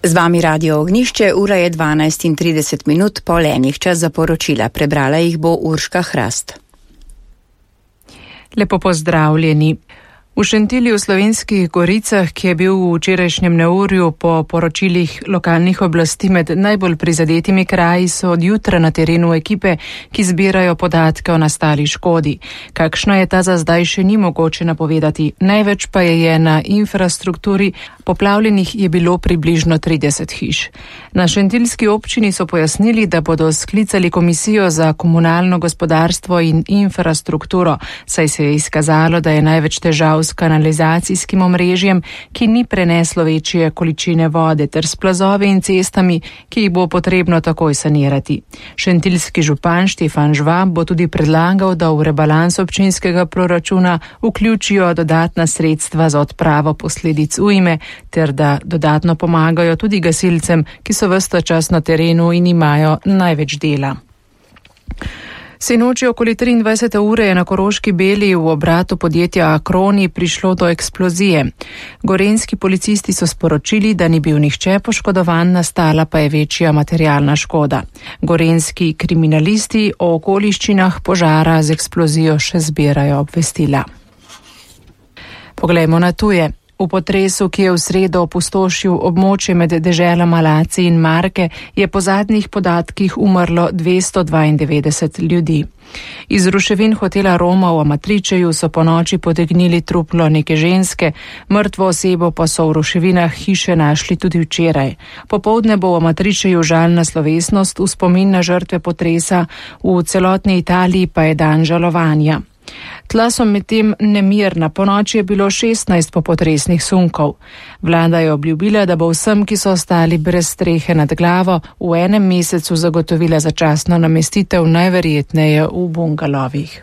Z vami Radio Ognjišče, ura je 12:30, pol enih, čas za poročila. Prebrala jih bo Urška Hrast. Lepo pozdravljeni. V Šentilju v Slovenskih Goricah, ki je bil v včerajšnjem neurju po poročilih lokalnih oblasti med najbolj prizadetimi kraji, so od jutra na terenu ekipe, ki zbirajo podatke o nastali škodi. Kakšna je ta za zdaj, še ni mogoče napovedati. Največ pa je na infrastrukturi, poplavljenih je bilo približno 30 hiš. Na šentiljski občini so pojasnili, da bodo sklicali komisijo za komunalno gospodarstvo in infrastrukturo, saj se je izkazalo, da je največ težav s kanalizacijskim omrežjem, ki ni preneslo večje količine vode, ter s plazovi in cestami, ki jih bo potrebno takoj sanirati. Šentiljski župan Štefan Žvab bo tudi predlagal, da v rebalans občinskega proračuna vključijo dodatna sredstva za odpravo posledic ujme, ter da dodatno pomagajo tudi gasilcem, ki so ves ta čas na terenu in imajo največ dela. Sinoči okoli 23. ure je na Koroški Beli v obratu podjetja Akroni prišlo do eksplozije. Gorenjski policisti so sporočili, da ni bil nihče poškodovan, nastala pa je večja materialna škoda. Gorenjski kriminalisti o okoliščinah požara z eksplozijo še zbirajo obvestila. Poglejmo na tuje. V potresu, ki je v sredo opustošil območje med deželama Laci in Marke, je po zadnjih podatkih umrlo 292 ljudi. Iz ruševin hotela Roma v Amatričeju so po noči potegnili truplo neke ženske, mrtvo osebo pa so v ruševinah hiše našli tudi včeraj. Popoldne bo v Amatričeju žalna slovesnost v spomin na žrtve potresa, v celotni Italiji pa je dan žalovanja. Tla so medtem nemirna, ponoči je bilo 16 popotresnih sunkov. Vlada je obljubila, da bo vsem, ki so ostali brez strehe nad glavo, v enem mesecu zagotovila začasno namestitev, najverjetneje v bungalovih.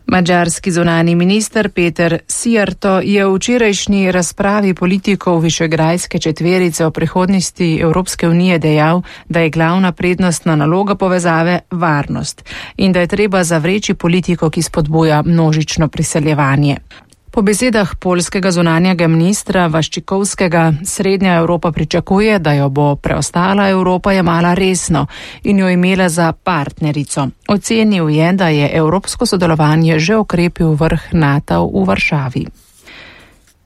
Madžarski zunani minister Peter Szijjártó je v včerajšnji razpravi politikov Višegrajske četverice o prihodnosti Evropske unije dejal, da je glavna prednostna naloga povezave varnost in da je treba zavreči politiko, ki spodbuja množično priseljevanje. Po besedah poljskega zunanjega ministra Vaščikovskega, Srednja Evropa pričakuje, da jo bo preostala Evropa jemala resno in jo imela za partnerico. Ocenil je, da je evropsko sodelovanje že okrepil vrh NATO v Varšavi.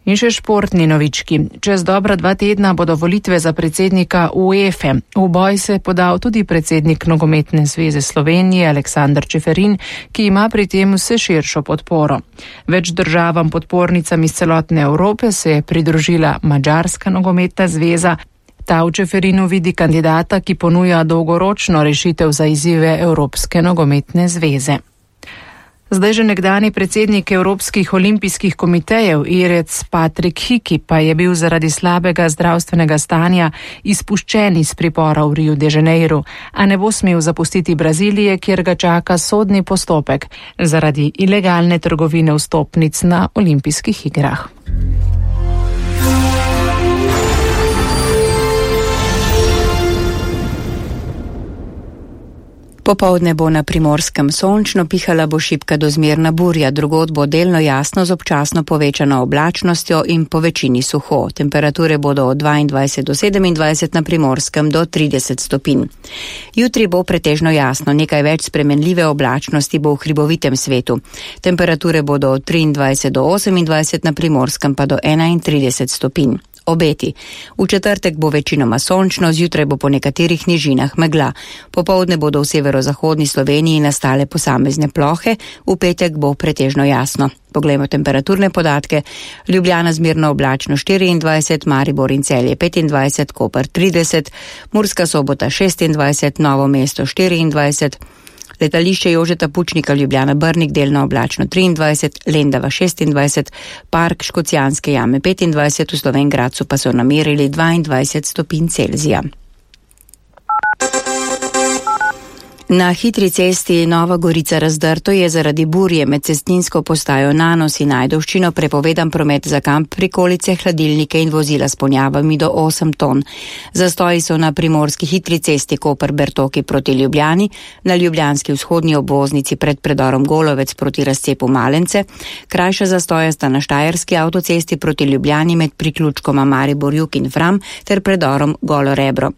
In še športni novički. Čez dobra 2 tedna bodo volitve za predsednika UEFA. V boj se je podal tudi predsednik Nogometne zveze Slovenije Aleksander Čeferin, ki ima pri tem vse širšo podporo. Več državam podpornicam iz celotne Evrope se je pridružila Madžarska nogometna zveza. Ta v Čeferinu vidi kandidata, ki ponuja dolgoročno rešitev za izzive Evropske nogometne zveze. Zdaj že nekdani predsednik Evropskih olimpijskih komitejev Irec Patrik Hiki pa je bil zaradi slabega zdravstvenega stanja izpuščen iz pripora v Riu de Janeiro, a ne bo smel zapustiti Brazilije, kjer ga čaka sodni postopek zaradi ilegalne trgovine vstopnic na olimpijskih igrah. Popoldne bo na Primorskem sončno, pihala bo šibka do zmerna burja, drugod bo delno jasno z občasno povečano oblačnostjo in po večini suho. Temperature bodo od 22 do 27, na Primorskem do 30 stopinj. Jutri bo pretežno jasno, nekaj več spremenljive oblačnosti bo v hribovitem svetu. Temperature bodo od 23 do 28, na Primorskem pa do 31 stopinj. Obeti. V četrtek bo večinoma sončno, zjutraj bo po nekaterih nižinah megla. Popoldne bodo v severozahodni Sloveniji nastale posamezne plohe, v petek bo pretežno jasno. Poglejmo temperaturne podatke. Ljubljana zmerno oblačno 24, Maribor in Celje 25, Koper 30, Murska Sobota 26, Novo mesto 24, Letališče Jožeta Pučnika Ljubljana Brnik delno oblačno 23, Lendava 26, Park Škocjanske jame 25, v Slovenj Gradcu pa so namerili 22 stopinj Celzija. Na hitri cesti Nova Gorica-Razdrto je zaradi burje med cestninsko postajo Nanos in Ajdovščino prepovedan promet za kamp, prikolice, hladilnike in vozila s ponjavami do 8 ton. Zastoji so na primorski hitri cesti Koper-Bertoki proti Ljubljani, na ljubljanski vzhodni obvoznici pred predorom Golovec proti razcepu Malence, krajša zastoja sta na štajerski avtocesti proti Ljubljani med priključkoma Maribor-Jug in Fram ter predorom Golo Rebro.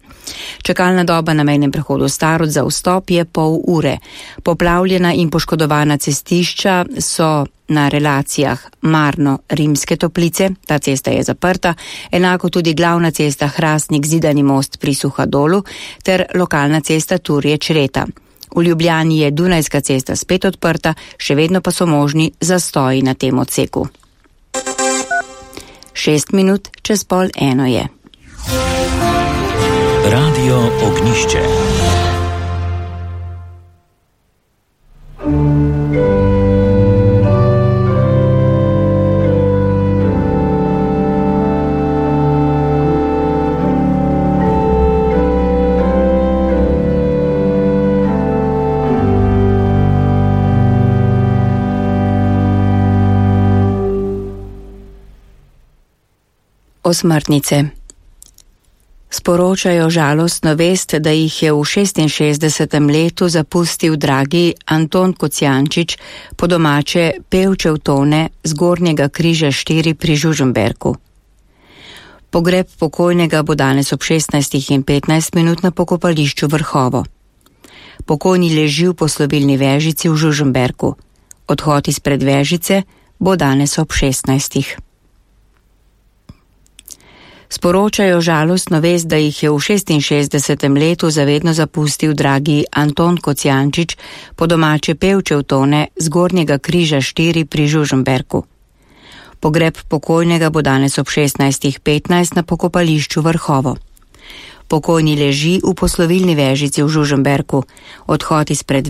Čakalna doba na mejnem prehodu Starod za vstop je pol ure. Poplavljena in poškodovana cestišča so na relacijah Marno-Rimske Toplice, ta cesta je zaprta, enako tudi glavna cesta Hrastnik-Zidani most pri Suhadolu ter lokalna cesta Turje-Čreta. V Ljubljani je Dunajska cesta spet odprta, še vedno pa so možni zastoji na tem odseku. 6 minut čez 12:30 je. Radio Ognišče. Osmrtnice. Sporočajo žalostno vest, da jih je v 66. letu zapustil dragi Anton Kocijančič, po domače pevčev tone z Gornjega križa 4 pri Žužemberku. Pogreb pokojnega bo danes ob 16:15 na pokopališču Vrhovo. Pokojni leži v poslovilni vežici v Žužemberku. Odhod izpred vežice bo danes ob 16. Sporočajo žalostno vest, da jih je v 66. letu zavedno zapustil dragi Anton Kocijančič, po domače pevčev tone z Gornjega križa 4 pri Žužemberku. Pogreb pokojnega bo danes ob 16:15 na pokopališču Vrhovo. Pokojni leži v poslovilni vežici v Žužemberku. Odhod izpred